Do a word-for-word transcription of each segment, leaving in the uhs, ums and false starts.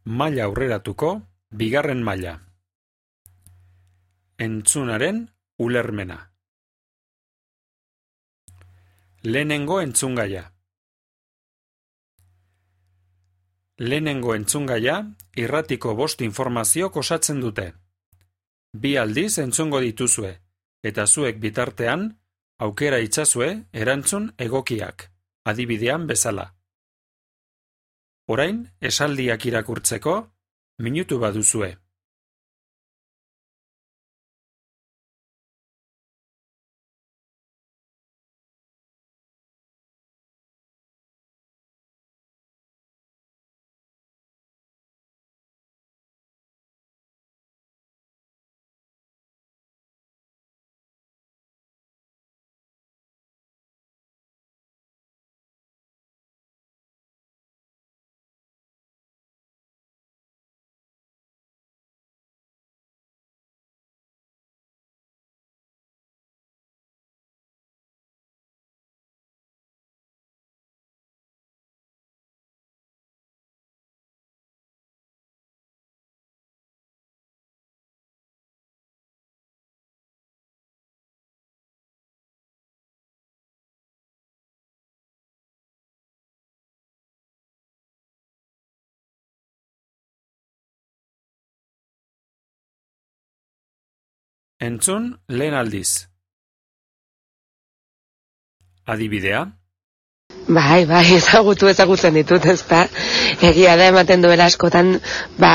Maila aurreratuko bigarren maila. Entzunaren ulermena. Lehenengo entzungaia. Lehenengo entzungaia irratiko bost informaziok osatzen dute. Bi aldiz entzungo dituzue, eta zuek bitartean aukera itzazue erantzun egokiak, adibidean bezala. Orain, esaldiak irakurtzeko, minutu baduzue. Entzun lehen aldiz. Adibidea? Bai, bai, ezagutu ezagutzen ditut, ezta? Egia da ematen duela askotan, ba,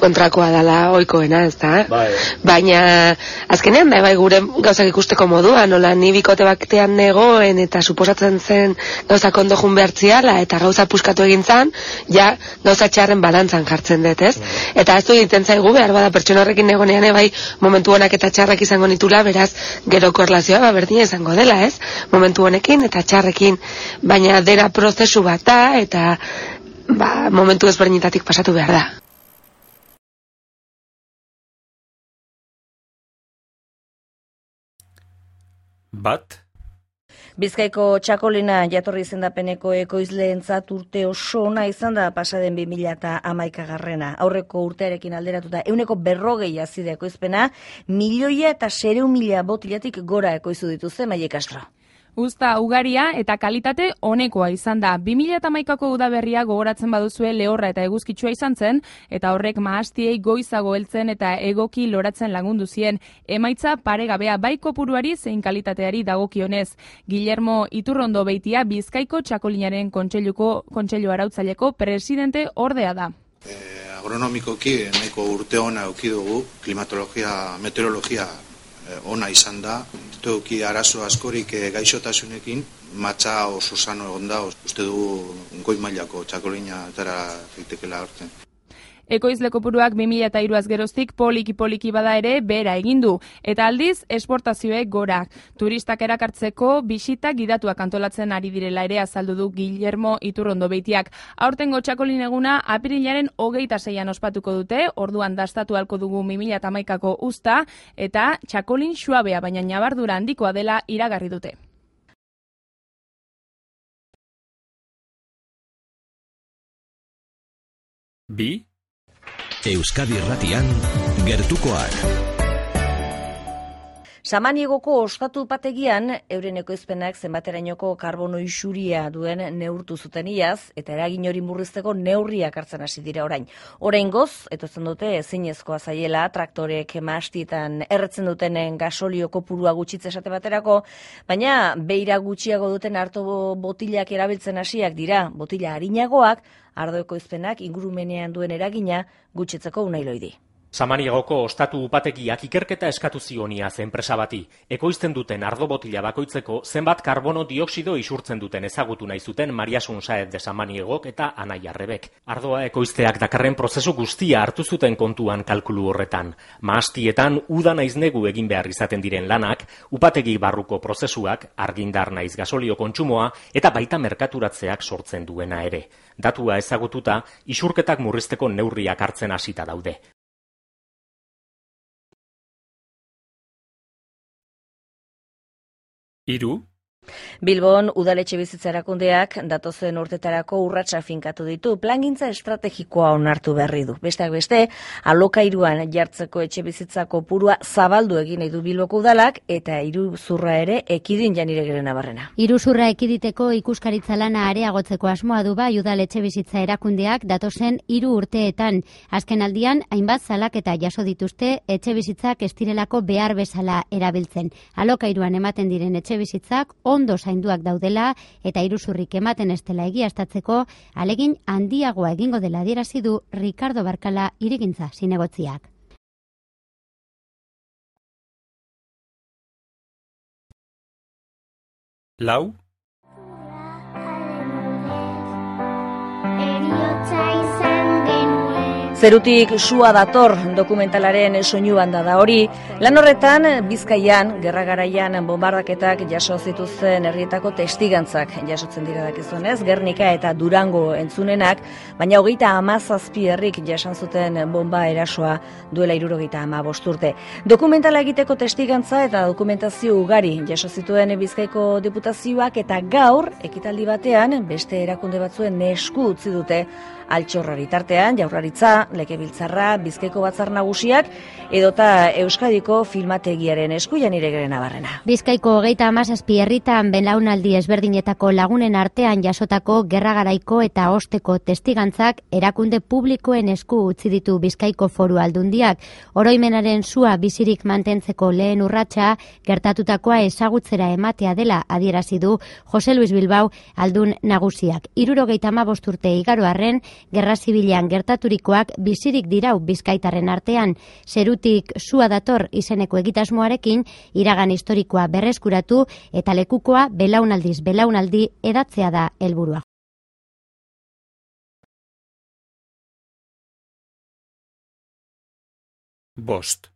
kontrakoa dela ohikoena, ezta? Bai. Baina azkenean da bai gure gauzak ikusteko modua, nola ni bikote batean negoen eta suposatzen zen gauzak ondo jun behartziala eta gauza puskatu egin zan, ja gauza txarren balantzan jartzen dut, ez? Mm. Eta ez du egiten zaigu behar bada pertsona horrekin negonean bai momentu honak eta txarrak izango nitula, beraz gero korrelazioa ba berdina izango dela, ez? Momentu honekin eta txarrekin, baina dena prozesu bat da eta ba momentu ezberdinetatik pasatu behar da. Bat. Bizkaiko txakolina jatorri izendapeneko ekoizleentzat urte oso ona izan da pasaden bi mila hamaikagarrena. Aurreko urtearekin alderatuta ehuneko berrogei azide ekoizpena, milioia eta sereun mila botilatik gora ekoizu dituzte Maile Castro. Uzta ugaria eta kalitate onekoa izan da. bi mila hamaikako udaberria gogoratzen baduzue lehorra eta eguzkitsua izan zen, eta horrek mahastiei goizago heltzen eta egoki loratzen lagundu zien. Emaitza paregabea bai kopuruari zein kalitateari dagokionez. Guillermo Iturrondo Beitia Bizkaiko txakolinaren kontseiluko kontseilu arautzaileko presidente ordea da. Eh, agronomikoki nahiko urte ona eduki dugu, klimatologia, meteorologia ona izan da, duki arazo askorik gaixotasunekin, matxa oso sano egon da, uste dugu goi mailako txakolina etara zaitekela hortzen. Ekoizle kopuruak bi mila hiruaz geroztik poliki-poliki bada ere behera egin du, eta aldiz esportazioek gora. Turistak erakartzeko bisita gidatuak antolatzen ari direla ere azaldu du Guillermo Iturrondo Beitiak. Aurtengo txakolin eguna apirilaren hogeita seian ospatuko dute, orduan dastatu halko dugu bi mila hamaikako uzta, eta txakolin suabea baina ñabardura handikoa dela iragarri dute. Bi. Euskadi Irratian gertukoak. Samaniegoko ostatu upategian euren ekoizpenak zenbaterainoko karbono isuria duen neurtu zuten iaz eta eragin hori murrizteko neurriak hartzen hasi dira orain. Oraingoz, etortzen dute ezinezkoa zaiela traktorek mahastietan erretzen dutenen gasolio kopurua gutxitze esate baterako, baina beira gutxiago duten arto botilak erabiltzen hasiak dira, botila arinagoak, ardo ekoizpenak ingurumenean duen eragina gutxitzeko unailoidi. Samaniegoko ostatu upategiak ikerketa eskatu zionia enpresa bati. Ekoizten duten ardo botila bakoitzeko zenbat karbono dioxido isurtzen duten ezagutu nahi zuten Mariasun Saez de Samaniegok eta Anaia Rebek. Ardoa ekoizteak dakarren prozesu guztia hartu zuten kontuan kalkulu horretan. Mahastietan uda naiz negu egin behar izaten diren lanak, upategi barruko prozesuak, argindar naiz gasolio kontsumoa eta baita merkaturatzeak sortzen duena ere. Datua ezagututa, isurketak murrizteko neurriak hartzen hasita daude. Hiru. Bilbon udaletxe bizitza erakundeak datozen urtetarako urratsa finkatu ditu, plangintza estrategikoa onartu berri du. Besteak beste, alokairuan jartzeko etxe bizitzako kopurua zabaldu egin nahi du Bilboko udalak eta iruzurra ere ekidin Janire Gerenabarrena. Iruzurra ekiditeko ikuskaritza lana areagotzeko asmoa du bai udaletxe bizitza erakundeak datozen hiru urteetan. Azken aldian, hainbat salaketa jaso dituzte etxe bizitzak ez direlako behar bezala erabiltzen. Alokairuan ematen diren etxe bizitzak ondo zainduak daudela eta iruzurrik ematen ez dela egiaztatzeko alegin handiagoa egingo dela adierazi du Ricardo Barkala Hirigintza zinegotziak. Lau. Zerutik sua dator dokumentalaren soinu banda da hori. Lan horretan, Bizkaian, gerra garaian bombardaketak jaso zituzten herrietako testigantzak jasotzen dira dakizunez, Gernika eta Durango entzunenak, baina hogeita hamazazpi herrik jasan zuten bomba erasoa duela hirurogeita hamabost urte. Dokumentala egiteko testigantza eta dokumentazio ugari jaso zituen Bizkaiko diputazioak eta gaur, ekitaldi batean, beste erakunde batzuen esku utzi dute altxorrari tartean, Jaurlaritza, Legebiltzarra, Bizkaiko Batzar Nagusiak edota Euskadiko filmategiaren esku Janire Gerenabarrena. Bizkaiko hogeita hamazazpi herritan belaunaldi ezberdinetako lagunen artean jasotako gerra garaiko eta osteko testigantzak erakunde publikoen esku utzi ditu Bizkaiko Foru Aldundiak. Oroimenaren sua bizirik mantentzeko lehen urratsa gertatutakoa ezagutzera ematea dela adierazi du Jose Luis Bilbao aldun nagusiak. hirurogeita hamabost urte igaro arren, gerra zibilean gertaturikoak bizirik dirau bizkaitarren artean. Zerutik sua dator izeneko egitasmoarekin iragan historikoa berreskuratu eta lekukoa belaunaldiz belaunaldi edatzea da helburua. Bost.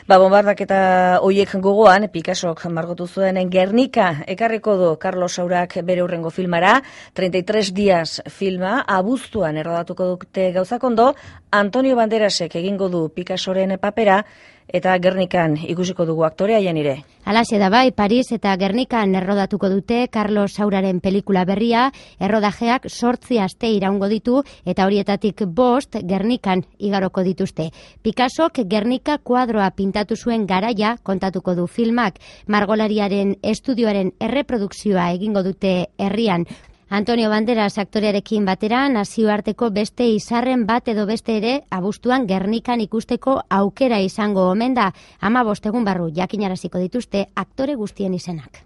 Ba, bombardaketa hoiek gogoan, Picassok margotu zuen Gernika ekarriko du Carlos Saurak bere hurrengo filmara, treinta y tres días filma, abuztuan errodatuko dute gauzak ondo, Antonio Banderasek egingo du Picassoren papera, eta Gernikan ikusiko dugu aktorea Janire. Halaxe da bai, Paris eta Gernikan errodatuko dute Carlos Sauraren pelikula berria, errodajeak sortzi aste iraungo ditu eta horietatik bost Gernikan igaroko dituzte. Picassok Gernika kuadroa pintatu zuen garaia kontatuko du filmak, margolariaren estudioaren erreprodukzioa egingo dute herrian. Antonio Banderas aktorearekin batera nazioarteko beste izarren bat edo beste ere abuztuan Gernikan ikusteko aukera izango omen da. hamabost egun barru jakinaraziko dituzte aktore guztien izenak.